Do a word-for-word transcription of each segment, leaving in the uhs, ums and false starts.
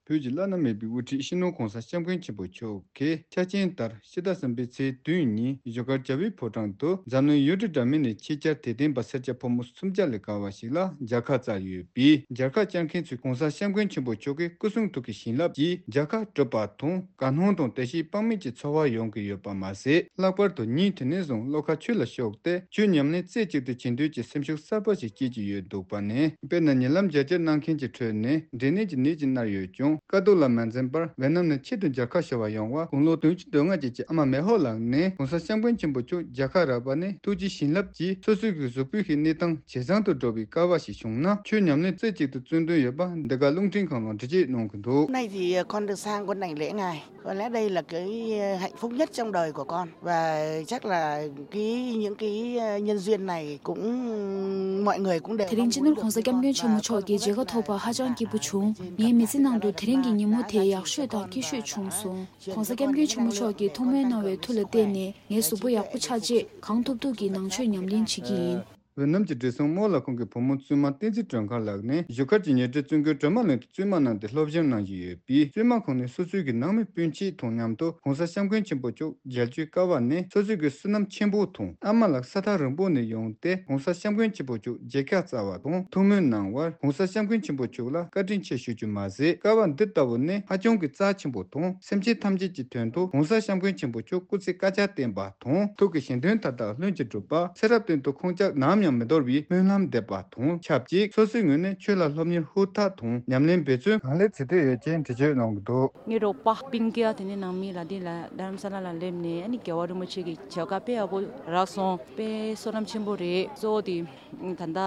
བོད་ཀྱི་བླ་ན་མེད་པའི་དབུ་ཁྲིད་སྤྱི་ནོར་༸གོང་ས་༸སྐྱབས་མགོན་ཆེན་པོ་མཆོག་གིས་ཆ་རྐྱེན་ལྟར་ཕྱི་ཟླ་གསུམ་པའི་ཚེས་བདུན་ཉིན་བཞུགས་སྒར་རྒྱལ་བའི་ཕོ་བྲང་དུ་འཛམ་གླིང་ཡུལ་གྲུ་འདྲ་མིན་ནས་ཆེད་བཅར་དད་ལྡན་པ་སེར་སྐྱ་ཕོ་མོ་སུམ་བརྒྱ་ལས་བརྒལ་བ་ཞིག་ལ་མཇལ་ཁ་བསྩལ་ཡོད་པས། མཇལ་ཁ་བཅར་མཁན་ཚོས་༸གོང་ས་༸སྐྱབས་མགོན་ཆེན་པོ་མཆོག་གི་སྐུ་གསུང་ཐུགས་ཀྱི་བྱིན་རླབས་ཀྱིས་མཇལ་ཁ་གྲུབ་པ་དང་དགའ་སྣང་དང་བདེ་སྐྱིད་དཔག་མེད་ཀྱི་ཚོར་བ་ཡོང་གི་ཡོད་པ་མ་ཟད། ལྷག་པར་དུ་ཉིན་དེ་ནས་བཟུང་བློ་ཁ་ཆོས་ལ་ཕྱོགས་ཏེ་ཆོས་ཉམས་ལེན་རྩེ་གཅིག་ཏུ་བྱེད་འདོད་ཀྱི་སེམས་ཤུགས་གསར་པ་ཞིག་སྐྱེས་ཀྱི་ཡོད་འདུག་པ་ནས། དཔེར་ན་ཉེ་ལམ་མཇལ་བཅར་གནང་མཁན་གྱི་ཁྲོད་ནས་འབྲས་ནད་ཀྱི་ནད་ཅིག་མནར་ཡོད་ཀྱང་དཀའ་སྡུག་ལ་མ་འཛེམས་པར་ཝེ་ནམ་ནས་ཆེད་དུ་མཇལ་ཁ་ཞུ་བར་ཡོང་བ་དགུང་ལོ་བདུན་ཅུ་དོན་ལྔ་ཅན་གྱི་ཨ་མ་མེ་ཧོ་ལགས་ནས་༸གོང་ས་༸སྐྱབས་མགོན་ཆེན་པོ་མཆོག་མཇལ་ཁ་རག་པ་ནས་ཐུགས་རྗེ་བྱིན་རླབས་ཀྱིས་སོ་སོའི་གི་གཟུགས་པོའི་གི་གནས་སྟངས་ཇེ་བཟང་དུ་འགྲོ་བའི་སྐལ་བ་ཞིག་བྱུང་ན་ཆོས་ཉམས་ལེན་རྩེ་གཅིག་ཏུ་བརྩོན་འདུན་ཡོད་པ་འདི་ག་རླུང་འཕྲིན་ཁང་ལ་འགྲེལ་བརྗོད་གནང་གི་འདུག Hôm nay thì ờ, con được sang con Đài lễ ngài. Có lẽ đây là cái ờ, hạnh phúc nhất trong đời của con. Và chắc là cái những cái ờ, nhân duyên này cũng mọi người cũng đều དེ་རིང་སྤྱི་ནོར་༸གོང་ས་༸སྐྱབས་མགོན་ཆེན་པོ་མཆོག་གི་མཇལ་ཁ་ཐོབ་པར་ཧ་ཅང་སྐྱིད་པོ་བྱུང་། ངའི་མི་ཚེ་ནང་དུ་དེ་རིང་གི་ཉིན་མོ་དེ་ཡག་ཤོས་དང་སྐྱིད་ཤོས་བྱུང་སོང་། ༸གོང་ས་༸སྐྱབས་མགོན་ཆེན་པོ་མཆོག་གིས་ཐུགས་སྨོན་གནང་བའི་མཐུ་ལ་བརྟེན་ནས་ངའི་གཟུགས་པོ་ཡག་པོ་ཆགས་རྗེས་གང་ཐུབ་ཐུབ་ཀྱིས་ནང་ཆོས་ཉམས་ལེན་བྱེད་ཀྱི་ཡིན། ཝེ་ནམ་གྱི་བགྲེས་སོང་རྨོ་ལགས་ཁོང་གི་བུ་མོ་བཙུན་མ་བསྟན་འཛིན་སྒྲོལ་དཀར་ལགས་ནས་བཞུགས་སྒར་གྱི་ཉེ་འབྲེལ་བཙུན་དགོན་སྒྲོལ་མ་གླིང་དུ་བཙུན་མ་གནང་སྟེ་སློབ་སྦྱོང་གནང་བཞིན་ཡོད་པས། བཙུན་མ་ཁོང་ནས་སོ་སོའི་གི་ནང་མི་སྤུན་མཆེད་དང་མཉམ་དུ་༸གོང་ས་༸སྐྱབས་མགོན་ཆེན་པོ་མཆོག་མཇལ་རྒྱུའི་སྐལ་བ་ནི་སོ་སོའི་གི་བསོད་ནམས་ཆེན་པོ་དང་ཨ་མ་ལགས་ས་ཐག་རིང་པོ་ནས་ཡོང་སྟེ་༸གོང་ས་༸སྐྱབས་མགོན་ཆེན་པོ་མཆོག་མཇལ་ཁ་བསྩལ་བ་དང་ཐུགས་སྨོན་གནང་བར་༸གོང་ས་༸སྐྱབས་མགོན་ཆེན་པོ་མཆོག་ལ་བཀའ་དྲིན་ཆེ་ཞུ་རྒྱུ་མ་ཟད། སྐལ་བ་འདི་ལྟ་བུ་ནི་ཧ་ཅང་གི་རྩ་ཆེན་པོ་དང་སེམས་ཅན་ཐམས་ཅད་ཀྱི་དོན་དུ་༸གོང་ས་༸སྐྱབས་མགོན་ཆེན་པོ་མཆོག་སྐུ་ཚེ་བསྐལ་བརྒྱར་བརྟན་པ་དང་ཐུགས་ཀྱི་བཞེད་དོན་མཐའ་དག་ལྷུན་གྱིས་གྲུབ་པ། ཚེ་རབས་གཏན་དུ་ཁོང་ཅག་ནམ་ཡང་མི་འདོར་བའི་སྨོན་ལམ་འདེབས་པ་དང་ཆབས་ཅིག་སོ་སོའི་ངོས་ནས་ཆོས་ལ་སློབ་གཉེར་ཧུར་ཐག་དང་ཉམས་ལེན་འབད་བརྩོན་གང་ལེགས་བྱེད་འདོད་ཡོད་ཅེས་འགྲེལ་བརྗོད་གནང་གི་འདུག་ངའི་རོགས་པ་སྤུན་ཀྱག་དེ་ནས་ནང་མི་ལ་འདི་ལ་རྡ་རམ་ས་ལ་ལ་སླེབས་ནས་ཨ་ནི་རྒྱལ་བ་རིན་པོ་ཆེ་གི་མཇལ་ཁ་དཔེ་ཡག་པོ་རག་སོང་། དཔེ་བསོད་ནམས་ཆེན་པོ་རེད། གཙོ་བོ་དེ་ད་ལྟ་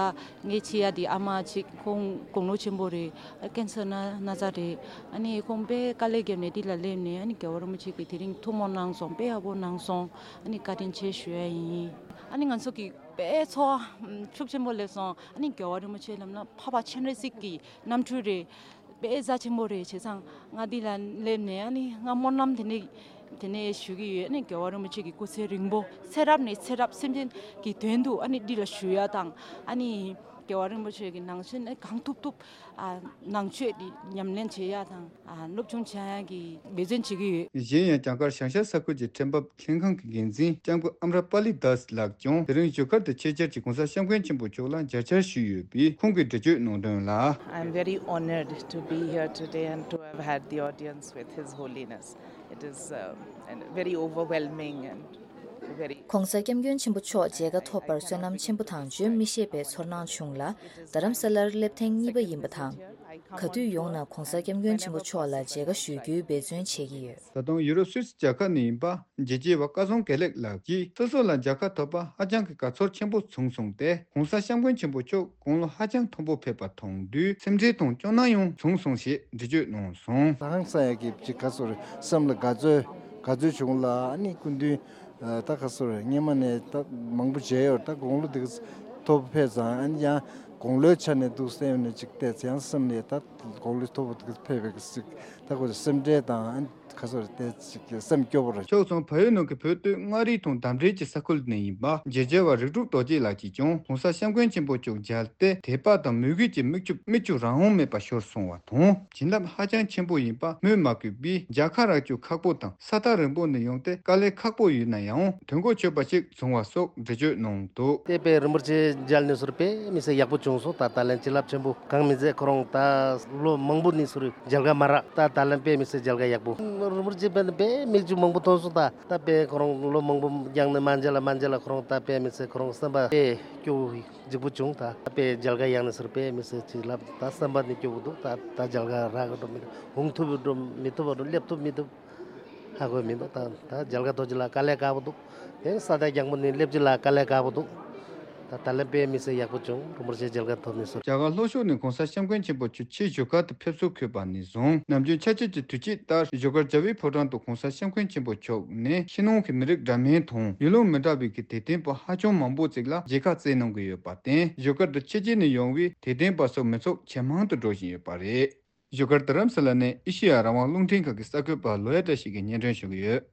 ངའི་ཆེ་ཡ་དེ་ཨ་མ་ཅིག་ཁོང་དགུང་ལོ་ཆེན་པོ་རེད། ཀན་སར་ན་ན་ཚ་རེད། ཨ་ནི་ཁོང་དཔེ་དཀའ་ལས་བརྒྱབ་ནས་འདི་ལ་སླེབས་ནས་ཨ་ནི་རྒྱལ་བ་རིན་པོ་ཆེ་གིས་དེ་རིང་ཐུགས་སྨོན་གནང་སོང་། དཔེ་ཡག་པོ་གནང་སོང་། ཨ་ནི་བཀའ་དྲིན་ཆེ་ཞུ་ཡ་ཡིན། ཨ་ནི་ང་ཚོ་གི་དཔེ་ཚོར་བ་ཤུགས་ཆེན་པོ་སླེབས་སོང་། ཨ་ནི་རྒྱལ་བ་རིན་པོ་ཆེ་ལབ་ན་འཕགས་པ་སྤྱན་རས་གཟིགས་ཀྱི་རྣམ་འཕྲུལ་རེད། དཔེ་རྩ་ཆེན་པོ་རེད། བྱས་ཙང་ང་འདི་ལ་སླེབས་ནས་ཨ་ནི་ང་སྨོན་ལམ་དེ་ནས་དེ་ནས་ཞུ་གི་ཡོད། ཨ་ནི་རྒྱལ་བ་རིན་པོ་ཆེ་གི་སྐུ་ཚེ་རིང་པོ་ཚེ་རབས་ནས་ཚེ་རབས་སེམས་ཅན་གྱི་དོན་དུ་ཨ་ནི་འདི་ལ་བཞུགས་ཡ་དང་ཨ་ནི་རྒྱལ་བ་རིན་པོ་ཆེ་གི་ནང་ཆོས་ནི་གང་ཐུབ་ཐུབ་ཨ་ནང་ཆོས་འདི་ཉམས་ལེན་བྱེད་ཡ་དང་ཨ་སློབ་སྦྱོང་བྱེད་ཡ་གི་འབད་བརྩོན་བྱེད་ཀྱི་ཡོད། གཞན་ཡང་། བྱང་སྐར་བྱང་ཤར་ས་ཁུལ་གྱི་ཁྲལ་འབབ་ལྷན་ཁང་གི་འགན་འཛིན་ལྕམ་སྐུ་ཨམ་ར་པ་ལི་དཱས་ལགས་ཀྱང་དེ་རིང་བཞུགས་སྒར་དུ་ཆེད་བཅར་གྱིས་༸གོང་ས་༸སྐྱབས་མགོན་ཆེན་པོ་མཆོག་ལ་མཇལ་བཅར་ཞུས་ཡོད་པས། ཁོང་གིས་འགྲེལ་བརྗོད་གནང་དོན་ལ། I'm very honored to be here today and to have had the audience with His Holiness. It is uh, and very overwhelming and very༸གོང་ས་༸སྐྱབས་མགོན་ཆེན་པོ་མཆོག་མཇལ་ཁ་ཐོབ་པར་བསོད་ནམས་ཆེན་པོ་དང་བརྗོད་མི་ཤེས་པའི་ཚོར་སྣང་བྱུང་ལ། རྡ་རམ་ས་ལར་སླེབས་ཐེངས་གཉིས་པ་ཡིན་པ་དང་། ག་དུས་ཡོང་ན་༸གོང་ས་༸སྐྱབས་མགོན་ཆེན་པོ་མཆོག་ལ་མཇལ་ཁ་ཞུ་རྒྱུའི་འབད་བརྩོན་བྱེད་ཀྱི་ཡོད། ད་དུང་ཡུ་རོབ་སུད་སི་རྒྱལ་ཁབ་ནས་ཡིན་པ་རྒྱལ་གཅེས་པ་སྐལ་བཟང་དགེ་ལེགས་ལགས་ཀྱིས་སོ་སོ་ལ་མཇལ་ཁ་ཐོབ་པ་ཧ་ཅང་གི་དགའ་ཚོར་ཆེན་པོ་བྱུང་སོང་སྟེ། ༸གོང་ས་༸སྐྱབས་མགོན་ཆེན་པོ་མཆོག་དགུང་ལོ་ཧ་ཅང་མཐོན་པོ་ཕེབས་པ་མཐོང་དུས་སེམས་ཁྲལ་དང་སྐྱོ་སྣང་ཡང་བྱུང་སོང་ཞེས་འགྲེལ་བརྗོད་གནང་སོང་། ཧང་སང་ཡ་གི་ཅིག་ག་ཚོད་རེད། སེམས་ལ་དགའ་ཚོར་དགའ་ཚོར་བྱུང་ལ། ཨ་ནི་སྐུ་མདུན་ད་ག་ཚོད་རེད། སྔོན་མ་ནས་ད་མང་པོ་མཇལ་ཡོད། ད་དགུང་ལོ་དེ་ག་མཐོ་པོ་ཕེབས་ཙང་ཨ་ནི་ཡང་དགུང་ལོའི་ཆ་ནས་འདུག་སེ་ཡོང་ནས་ཅིག་བལྟས་ཙང་སེམས་ནས་ད་དགུང་ལོ་མཐོ་པོ་དེ་ག་ཕེབས་པའི་གི་ཅིག་ད་ཁོ་སེམས་ཁྲལ་དང་ཨ་ནི་ག་ཚོད་རེད། དེ་ཅིག་སེམས་སྐྱོ་པོ་རེད། ཕྱོགས་མཚུངས་བལ་ཡུལ་ནང་གི་བོད་སྟོད་མངའ་རིས་དང་འདབས་འབྲེལ་གྱི་ས་ཁུལ་ནས་ཡིན་པ་རྒྱལ་གཅེས་པ་རིག་གྲུབ་རྡོ་རྗེ་ལགས་ཀྱིས་ཀྱང་༸གོང་ས་༸སྐྱབས་མགོན་ཆེན་པོ་མཆོག་མཇལ་ཏེ་དད་པ་དང་མོས་གུས་ཀྱི་མིག་ཆུ་མིག་ཆུ་རང་དབང་མེད་པར་ཤོར་སོང་བ་དང་། བྱིན་རླབས་ཧ་ཅང་ཆེན་པོ་ཡིན་པ་སྨོས་མ་དགོས་པས། མཇལ་ཁ་རག་རྒྱུ་ཁག་པོ་དང་ས་ཐག་རིང་པོ་ནས་ཡོང་སྟེ་དཀའ་ལས་ཁག་པོ་ཡོད་ན་ཡང་དོན་གོ་ཆོད་པ་ཞིག་བྱུང་བ་སོགས་འགྲེལ་བརྗོད་གནང་འདུག་དེ་དཔེ་རིན་པོ་ཆེ་མཇལ་ནས་ཟུར་དཔེ་མི་སྲིད་ཡག་པོ་བྱུང་སོང་། ད་ད་ལན་བྱིན་རླབས་ཆེན་པོ་གང་མི་མཛད། ཁོ་རང་ད་ལོ་མང་པོ་ནས་ཟུར་མཇལ་ཁ་མ་རག་ད་ད་ལན་དཔེ་མི་སྲིད་མཇལ་ཁ་ཡག་པོ། རིན་པོ་ཆེ་དཔེ་དཔེ་མིག་ཆུ་མང་པོ་ཐོན་སོང་། ད་ད་དཔེ་ཁོ་རང་ལོ་མང་པོ་རྒྱང་ནས་མ་མཇལ་ལ་མ་མཇལ་ལ་ཁོ་རང་ད་དཔེ་མི་སྲིད་ཁོ་རང་སེམས་པ་དཔེ་སྐྱོ་བོ་འཇིགས་པོ་བྱུང་། ད་དཔེ་མཇལ་ཁ་ཡག་ནས་ཟུར་དཔེ་མི་སྲིད་བྱིན་རླབས། ད་སེམས་པ་ནས་སྐྱོ་བོ་འདུག་ད་ད་མཇལ་ཁ་རག་གི་འགྲོ་མི་འདུག་འོང་ཐུབ་འགྲོ་མི་ཐུབ་འགྲོ་སླེབས་ཐུབ་མི་ཐུབ་ཧ་གོ་མི་འདུག་ད་ད་མཇལ་ཁ་ཐོབ་ཅི་ལ་དཀའ་ལས་ཁག་པོ་འདུག་དེ་ས་ཐག་རྒྱང་པོ་ནས་སླེབས་ཅི་ལ་དཀའ་ལས་ཁག་པོ་འདུག་ད་ད་ལན་དཔེ་མི་སྲིད་ཡག་པོ་བྱུང་། རིན་པོ་ཆེ་མཇལ་ཁ་ཐོབ་ནས་ཟུར། རྒྱ་གར་ལྷོ་ཕྱོགས་ནས་༸གོང་ས་༸སྐྱབས་མགོན་ཆེན་པོ་མཆོག་ཕྱིར་བཞུགས་སྒར་དུ་ཕེབས་བསུ་འཁོད་པ་ནས་བཟུང་ནམ་རྒྱུན་ཆ་བྱད་ཀྱི་དུས་ཆེན་ལྟར་བཞུགས་སྒར་རྒྱལ་བའི་ཕོ་བྲང་དུ་༸གོང་ས་༸སྐྱབས་མགོན་ཆེན་པོ་མཆོག་ནས་ཕྱི་ནང་གི་མི་རིགས་འདྲ་མིན་དང་ཡུལ་ལུང་མི་འདྲ་བའི་གི་དད་ལྡན་པ་ཧ་ཅང་མང་པོ་ཅིག་ལ་མཇལ་ཁ་བསྩལ་གནང་གི་ཡོད་པར་བརྟེན། བཞུགས་སྒར་དུ་ཕྱི་རྒྱལ་ནས་ཡོང་བའི་དད་ལྡན་པ་སོགས་མི་ཚོགས་ཇེ་མང་དུ་འགྲོ་བཞིན་ཡོད་པ་རེད། བཞུགས་སྒར་རྡ་རམ་ས་ལ་ནས་ཨེ་ཤེ་ཡ་རང་དབང་རླུང་འཕྲིན་ཁང་གི་གསར་འགོད་པ་ལོ་ཡ་བཀྲ་ཤིས་ཀྱིས་སྙན་སྒྲོན་ཞུ་གི་ཡོད།